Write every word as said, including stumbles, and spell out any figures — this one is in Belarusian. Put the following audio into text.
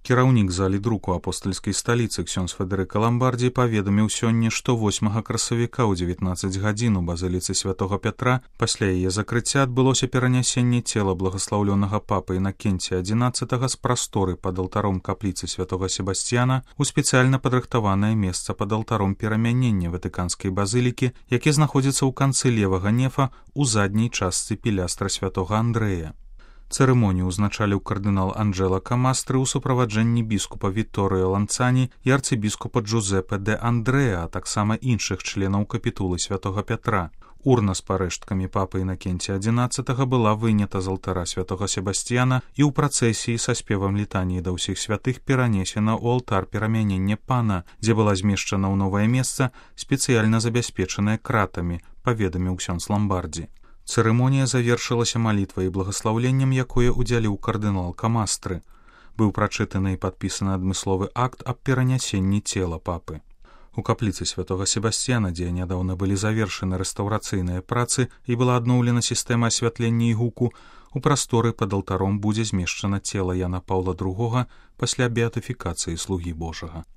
Кіраўнік залі друку апостальскай сталіцы ксёндз Федэрыка Ламбардзі паведаміў сёння, што восьмага красавіка ў дзевятнаццаць гадзін у базыліцы святога Пятра пасля яе закрыцця адбылося перанясенне цела благаслаўлёнага папы Інакенція адзінаццатага з прасторы пад алтаром капліцы святога Себасцьяна ў спецыяльна падрыхтаванае месца пад алтаром перамянення ватыканскай базылікі, які знаходзіцца ў канцы левага нефа ў задняй частцы пілястра святога Андрэя. Цырымонію ўзначаліў кардынал Анджэла Камастры ў суправаджэнні біскупа Вітторыо Ланцані і арцыбіскупа Джузепе де Андрэа, а таксама іншых членаў капітулы святога Пятра. Урна з парэшткамі папы Інакенція адзінаццатага была вынята з алтара святога Себасцьяна і ў працэсіі са спевам літаніі да ўсіх святых перанесена ў алтар перамянення пана, дзе была змешчана ў новае месца, спецыяльна забяспечанае кратамі, паведаміў ксёндз Ламбардзі. Цырымонія завершылася малітвай і благаслаўленнем, якое ўдзяліў кардынал Камастры. Быў прачытаны і падпісаны адмысловы акт аб перанясенні цела папы. У капліцы святога Себасцьяна, дзе нядаўна былі завершаны рэстаўрацыйныя працы і была адноўлена сістэма асвятлення і гуку, у прасторы пад алтаром будзе змешчана цела Яна Паўла другога пасля беатыфікацыі слугі Божага.